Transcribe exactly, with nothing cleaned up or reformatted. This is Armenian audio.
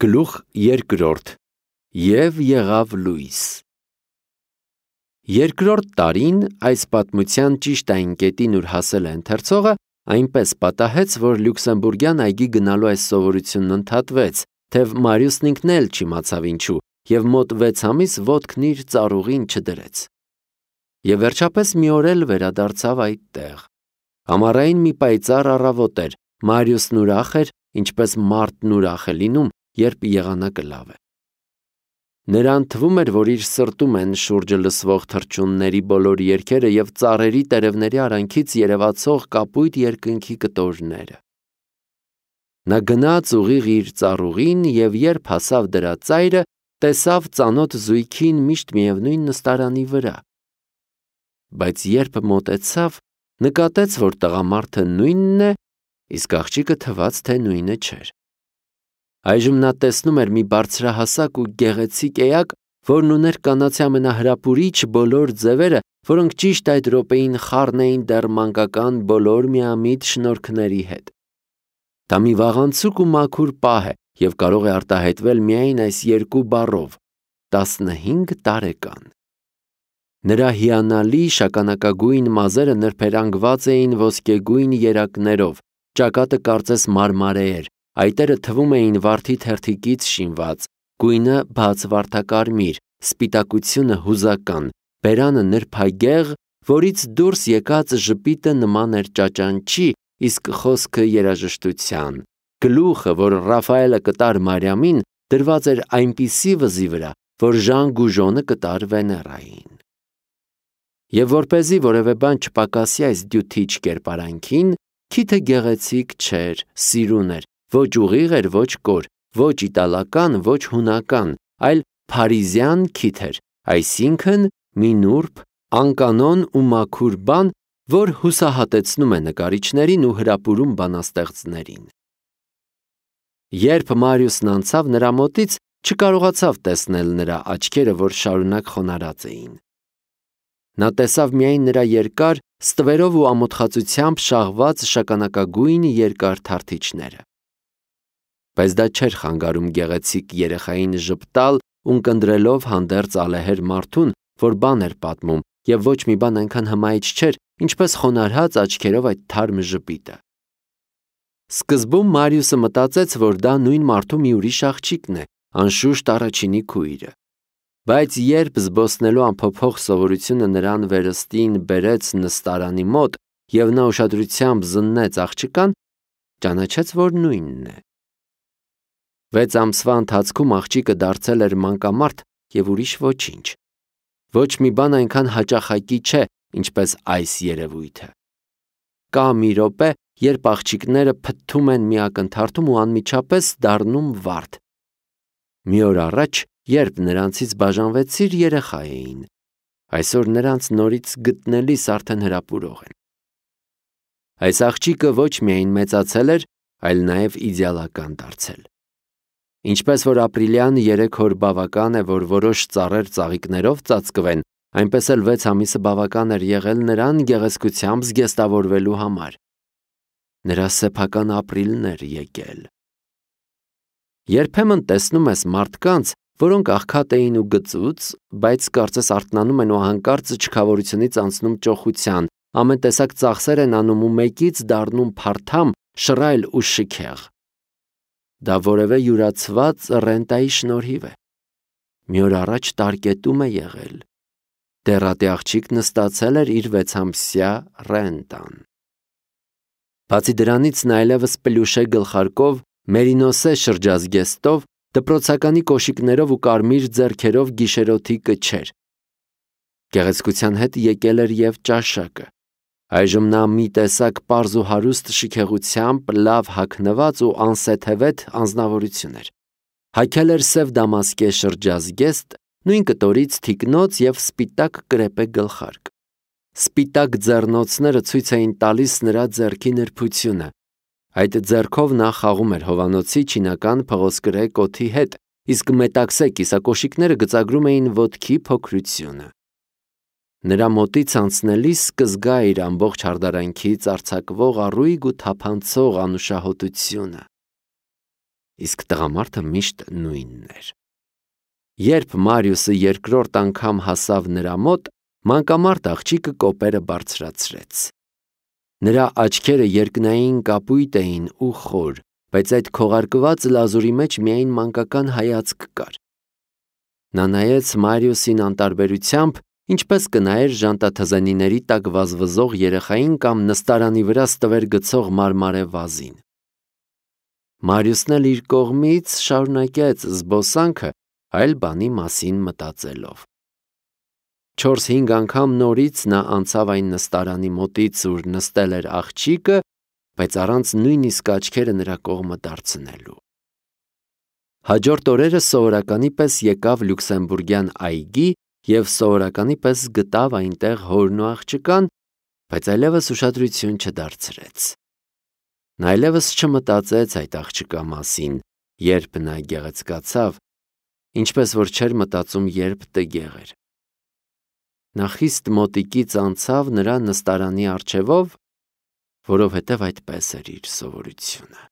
Գլուխ երկրորդ. Եվ եղավ լույս։ Երկրորդ տարին այս պատմության ճիշտային կետին ուր հասել է ընթերցողը, այնպես պատահեց, որ Լյուքսեմբուրգյան այգի գնալու այս սովորությունն ընդհատվեց, թեև Մարիուսն ինքն էլ չիմացավ ինչու, և մոտ վեց ամիս ոտքն իր ծառուղին չդրեց։ Եվ վերջապես մի օր էլ վերադարձավ այդ տեղ։ Ամառային մի պայծառ առավոտ էր, Մարիուսն ուրախ էր, ինչպես մարդն ուրախ է լինում, երբ եղանակը լավ է։ Նրան թվում էր, որ իր սրտում են շուրջը լսվող թռչունների բոլոր երգերը և ծառերի տերևների արանքից երևացող կապույտ երկնքի կտորները։ Նա գնաց ուղիղ իր ծառուղին և երբ հասավ դրա ծայրը, տեսավ ծանոթ զույգին միշտ միևնույն նստարանի վրա։ Բայց երբ մոտեցավ, նկատեց, որ տղամարդը նույնն է, իսկ աղջիկը թվաց, թե նույնը չէր։ Այժմ նա տեսնում էր մի բարձրահասակ ու գեղեցիկ էակ, որն ուներ կանացի ամենահրապուրիչ բոլոր ձևերը, որոնք ճիշտ այդ րոպեին խառն էին դեռ մանկական բոլոր միամիտ շնորհքների հետ։ Դա մի վաղանցուկ ու մաքուր պահ է և կարող է արտահայտվել միայն այս երկու բառով՝ տասնհինգ տարեկան։ Նրա հիանալի շագանակագույն մազերը նրբերանգված էին ոսկեգույն երակներով, ճակատը կարծես մարմարե էր, այտերը թվում էին վարդի թերթիկից շինված, գույնը բաց վարդակարմիր, սպիտակությունը հուզական, բերանը նրբագեղ, որից դուրս եկած ժպիտը նման էր ճաճանչի, իսկ խոսքը երաժշտության, գլուխը, որ Ռաֆայելը կտար Մարիամին, դրված էր այնպիսի վզի վրա, որ Ժան Գուժոնը կտար Վեներային։ Եվ որպեսզի որևէ բան չպակասի այս դյութիչ կերպարանքին, քիթը գեղեցիկ չէր, սիրուն էր, ոչ ուղիղ էր, ոչ կոր, ոչ իտալական, ոչ հունական, այլ փարիզյան քիթ էր, այսինքն մի նուրբ, անկանոն ու մաքուր բան, որ հուսահատեցնում է նկարիչներին ու հրապուրում բանաստեղծներին։ Երբ Մարիուսն անցավ նրա մոտից, չկարողացավ տեսնել նրա աչքերը, որ շարունակ խոնարհած էին։ Նա տեսավ միայն նրա երկար, ստվերով ու ամոթխածությամբ շաղված շագանակագույն երկար թարթիչները։ Բայց դա չէր խանգարում գեղեցիկ երեխային ժպտալ, ունկնդրելով հանդերձ ալեհեր մարդուն, որ բան էր պատմում, և ոչ մի բան այնքան հմայիչ չէր, ինչպես խոնարհած աչքերով այդ թարմ ժպիտը։ Սկզբում Մարիուսը մտածեց, որ դա նույն մարդու մի ուրիշ աղջիկն է, անշուշտ առաջինի քույրը։ Բայց երբ զբոսնելու անփոփոխ սովորությունը նրան վերստին բերեց նստարանի մոտ, և նա ուշադրությամբ զննեց աղջկան, ճանաչեց, որ նույնն է։ Վեց ամսվա ընթացքում աղջիկը դարձել էր մանկամարդ և ուրիշ ոչինչ։ Ոչ մի բան այնքան հաճախակի չէ, ինչպես այս երևույթը։ Կա մի րոպե, երբ աղջիկները փթթում են մի ակնթարթում ու անմիջապես դառնում վարդ։ Մի օր առաջ, երբ նրանցից բաժանվեցիր, երեխա էին, այսօր նրանց նորից գտնելիս արդեն հրապուրող են։ Այս աղջիկը ոչ միայն մեծացել էր, այլ նաև իդեալական դարձել։ Ինչպես որ ապրիլյան երեք օր բավական է, որ որոշ ծառեր ծաղիկներով ծածկվեն, այնպես էլ վեց ամիսը բավական էր եղել նրան գեղեցկությամբ զգեստավորվելու համար։ Նրա սեփական ապրիլն էր եկել։ Երբեմն տեսնում ես մարդկանց, որոնք աղքատ էին ու գծուծ, բայց կարծես արթնանում են ու հանկարծ չքավորությունից անցնում ճոխության, ամեն տեսակ ծախսեր են անում ու մեկից դառնում փարթամ, շռայլ ու շքեղ։ Դա որևէ յուրացված ռենտայի շնորհիվ է։ Մի օր առաջ տարկետում է եղել։ Դեռատի աղջիկն ստացել էր իր վեցամսյա ռենտան։ Բացի դրանից նա այլևս պլյուշե գլխարկով, մերինոսե շրջազգեստով, դպրոցականի կոշիկներով ու կարմիր ձեռքերով գիշերօթիկը չէր։ Գեղեցկության հետ եկել էր և ճաշակը։ Այժմ նա մի տեսակ պարզ ու հարուստ շքեղությամբ լավ հագնված ու անսեթևեթ անձնավորություն էր։ Հագել էր սև դամասկե շրջազգեստ, նույն կտորից թիկնոց և սպիտակ կրեպե գլխարկ։ Սպիտակ ձեռնոցները ցույց էին տալիս նրա ձեռքի նրբությունը։ Այդ ձեռքով նա խաղում էր հովանոցի չինական փղոսկրե կոթի հետ, իսկ մետաքսե կիսակոշիկները գծագրում էին ոտքի փոքրությունը։ Նրա մոտից անցնելիս կզգա իր ամբողջ հարդարանքից արձակվող առույգ ու թափանցող անուշահոտությունը։ իսկ տղամարդը միշտ նույնն էր։ Երբ Մարիուսը երկրորդ անգամ հասավ նրա մոտ, մանկամարդ աղջիկը կոպերը բարձրացրեց։ Նրա աչքերը երկնային կապույտ էին ու խոր, բայց այդ քողարկված լազուրի մեջ միայն մանկական հայացք կար։ Նա նայեց Մարիուսին անտարբերությամբ, ինչպես կնայեր ժանտաթզենիների տակ վազվզող երեխային կամ նստարանի վրա ստվեր գցող մարմարե վազին։ Մարիուսն էլ իր կողմից շարունակեց զբոսանքը, այլ բանի մասին մտածելով։ Չորս-հինգ անգամ նորից նա անցավ այն նստարանի մոտից, ուր նստել էր աղջիկը, բայց առանց նույնիսկ աչքերը նրա կողմը դարձնելու։ Հաջորդ օրերը սովորականի պես եկավ լյուքսեմբուրգյան այգի և սովորականի պես գտավ այնտեղ հորն ու աղջկան, բայց այլևս ուշադրություն չդարձրեց։ Նա այլևս չմտածեց այդ աղջկա մասին, երբ նա գեղեցկացավ, ինչպես որ չէր մտածում, երբ տգեղ էր։ Նա խիստ մոտիկից անցավ նրա նստարանի առջևով, որովհետև այդպես էր իր սովորությունը։